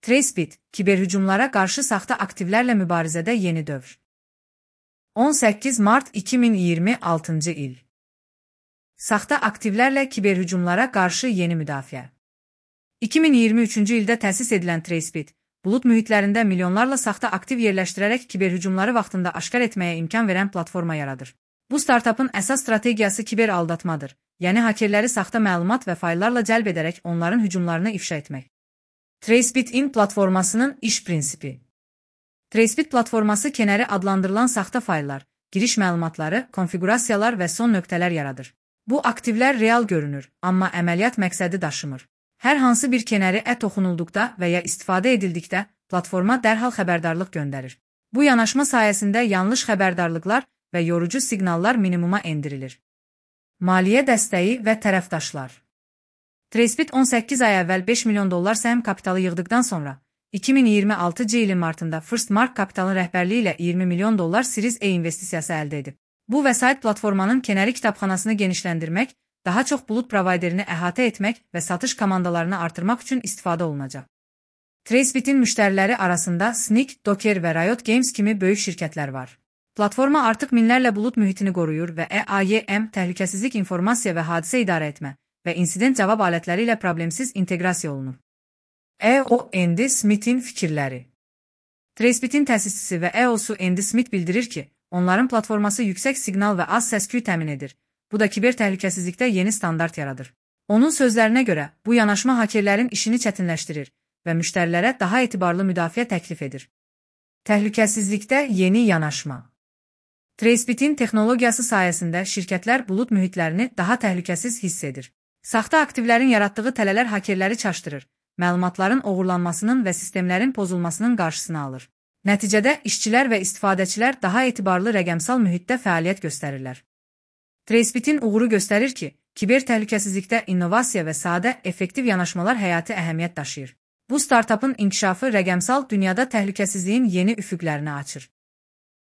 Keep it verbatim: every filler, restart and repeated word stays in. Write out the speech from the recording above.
Tracebit, kiberhücumlara qarşı saxta aktivlərlə mübarizədə yeni dövr. on səkkiz mart iki min iyirmi altıncı il. Saxta aktivlərlə kiberhücumlara qarşı yeni müdafiə. iki min iyirmi üçüncü ildə təsis edilən Tracebit, bulut mühitlərində milyonlarla saxta aktiv yerləşdirərək kiberhücumları vaxtında aşkar etməyə imkan verən platforma yaradır. Bu startapın əsas strategiyası kiber aldatmadır, yəni hakerləri saxta məlumat və fayllarla cəlb edərək onların hücumlarını ifşa etmək. Tracebit-in platformasının iş prinsipi. Tracebit platforması kənarı adlandırılan saxta fayllar, giriş məlumatları, konfigurasiyalar və son nöqtələr yaradır. Bu aktivlər real görünür, amma əməliyyat məqsədi daşımır. Hər hansı bir kənarı ə toxunulduqda və ya istifadə edildikdə platforma dərhal xəbərdarlıq göndərir. Bu yanaşma sayəsində yanlış xəbərdarlıqlar və yorucu siqnallar minimuma endirilir. Maliyyə dəstəyi və tərəfdaşlar. Tracebit on səkkiz ay əvvəl beş milyon dollar səhəm kapitalı yığdıqdan sonra, iki min iyirmi altıncı ilin martında First Mark Capital'ın rəhbərliyi ilə iyirmi milyon dollar Series A investisiyası əldə edib. Bu vəsait platformanın kənarı kitabxanasını genişləndirmək, daha çox bulut provayderini əhatə etmək və satış komandalarını artırmaq üçün istifadə olunacaq. Tracebit'in müştəriləri arasında Snyk, Docker və Riot Games kimi böyük şirkətlər var. Platforma artıq minlərlə bulut mühitini qoruyur və E A Y M təhlükəsizlik informasiya və hadisə idarə etmə və insident cavab alətləri ilə problemsiz inteqrasiya olunur. E O Andy Smith'in fikirləri. Tracebit'in təsisçisi və E O'su Andy Smith bildirir ki, onların platforması yüksək siqnal və az səs-küy təmin edir. Bu da kiber təhlükəsizlikdə yeni standart yaradır. Onun sözlərinə görə, bu yanaşma hakerlərin işini çətinləşdirir və müştərilərə daha etibarlı müdafiə təklif edir. Təhlükəsizlikdə yeni yanaşma. Tracebit'in texnologiyası sayəsində şirkətlər bulut mühitlərini daha təhlükəsiz hiss edir. Saxta aktivlərin yaratdığı tələlər hakerləri çaşdırır, məlumatların oğurlanmasının və sistemlərin pozulmasının qarşısını alır. Nəticədə işçilər və istifadəçilər daha etibarlı rəqəmsal mühitdə fəaliyyət göstərirlər. Tracebit'in uğuru göstərir ki, kiber təhlükəsizlikdə innovasiya və sadə, effektiv yanaşmalar həyati əhəmiyyət daşıyır. Bu startapın inkişafı rəqəmsal dünyada təhlükəsizliyin yeni üfüqlərini açır.